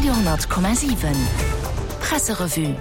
Radio,7 Presserevue.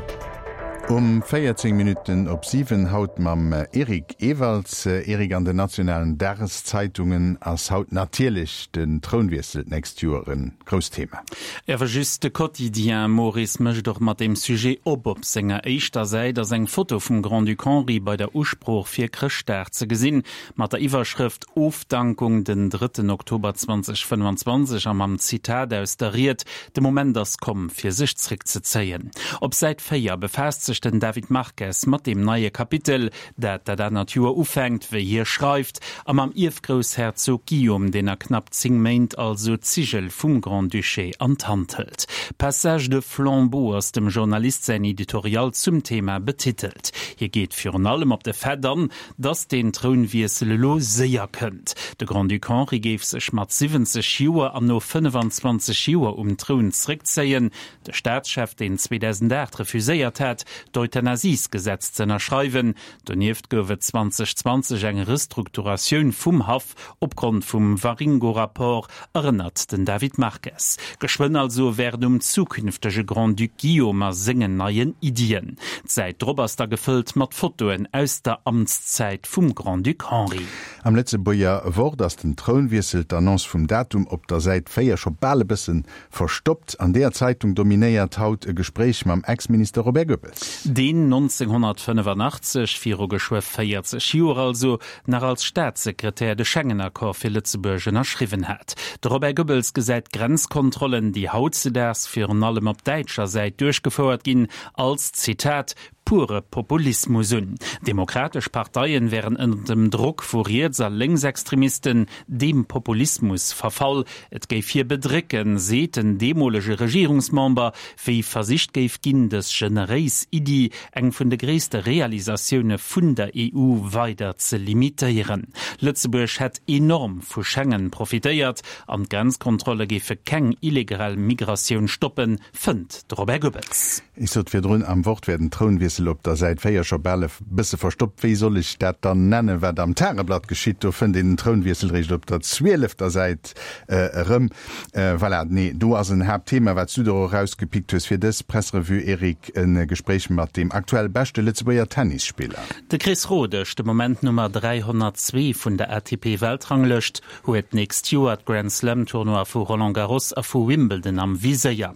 Um 14 Minutten op 7 haut mam Eric Ewalds. Eric, an den nationalen Dageszeitungen ass haut natierlech den Trounwiessel d'nächst Joer e grousst Thema. Awer just de Quotidien, Maurice, mécht och mat deem Sujet op. Op senger éischter Säit ass eng Foto vum Grand-Duc Henri bei der Usprooch fir Chrëschtdag ze gesinn. Mat der Iwwerschrëft Ofdankung den drëtten Oktober 2025 a mam Zitat aus der Ried De Moment ass komm, fir sech zréckzezéien. Op Säit 4 befaasst sech den David Marques mat deem neie Kapitel, dat dat anert Joer ufänkt, wéi hie schreift, a mam Ierfgroussherzog Guillaume, deen a knapp 10 Méint also d'Zigel vum Grand-Duché an d'Hand hëlt. Passage de flambeau ass dem Journalist säin Editorial zum Thema betitelt. Hie geet virun allem op de Fait an, Datt deen Trounwiessel elo séier kënnt. De Grand-Duc Henri géif sech mat 70 Joer an no 25 Joer um Troun zréckzéien. De Staatschef, deen 2008 refuséiert hat, d'Euthanasiesgesetz ze ënnerschreiwen. Donieft gouf et 2020 eng Restrukturatioun vum Haff Opgrond vum Waringo-Rapport, erënnert den David Marques. Geschwënn also wär et um zukünftege Grand-Duc Guillaume a sengen neien Iddien. D'Säit drop ass da gefëllt mat Fotoen aus der Amtszäit vum Grand-Duc Henri. Am Lëtzebuerger Wort ass den Trounwiessel, d'Annonce vum Datum op der Säit 4 scho bal e bësse verstoppt. An deeër Zeitung dominéiert haut e Gespréich mam Ex-Minister Robert Goebbels. Deen 1985, viru geschwë 40 Joer also, nach als Staatssekretär de Schengen-Accord fir Lëtzebuerg ënnerschriwwen hat. De Robert Goebbels gesäit d'Grenzkontrollen, déi hautzedaags virun allem op däitscher Säit duerchgefouert ginn, als, Zitat, pure Populismus un. Demokratesch Parteien wären ënner dem Drock vu Riets a Lénksextremisten deem Populismus verfall. Et géif hie bedrécken, seet den deemolege Regierungsmember, wéi versicht géif ginn, dës generéis Iddi, eng vun de gréisste Realisatioune vun der EU, weider ze limitéieren. Lëtzebuerg hätt enorm vu Schengen profitéiert an d'Grenzkontrolle géife keng illegal Migratioun stoppen, fënnt de Robert Goebbels. Ech sot virdrun, am Wort wär den Trounwiessel op der Säit 4 scho bal e bësse verstoppt. Wéi soll ech dat dann nennen, wat am Tageblatt geschitt? Do fënnt een den Trounwiessel réischt op der zwielefter Säit erëm. Voilà, nee, do ass en Haaptthema, wat s du der och erausgepickt hues fir dës Presserevue, Eric, e Gespréich mat deem aktuell beschte Lëtzebuerger Tennisspiller. De Chris Rodesch, de Moment Nummer 302 vun der ATP-Weltranglëscht, huet d'nächst Joer d'Grand-Slam-Tournoie vu Roland Garros a vu Wimbledon am Viséier.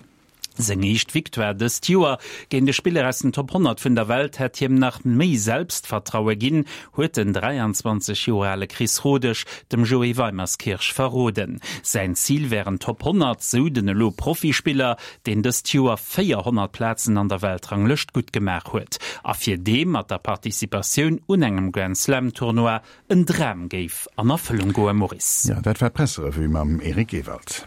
Seng éischt Victoire dëst Joer géint e Spiller aus den Top 100 vun der Welt hätt hiem nach méi Selbstvertraue ginn, huet den 23 Joer ale Chris Rodesch dem Joé Weimerskirch verroden. Säin Zil wären d'Top 100, sou den elo Profispiller, deen dëst Joer 400 Plazen an der Weltranglëscht gutt gemaach huet a fir dee mat der Participatioun un engem Grand-Slam-Tournoi en Dram géif an Erfëllung goen. Maurice. Jo, dat war d'Presserevue mam Eric Ewald.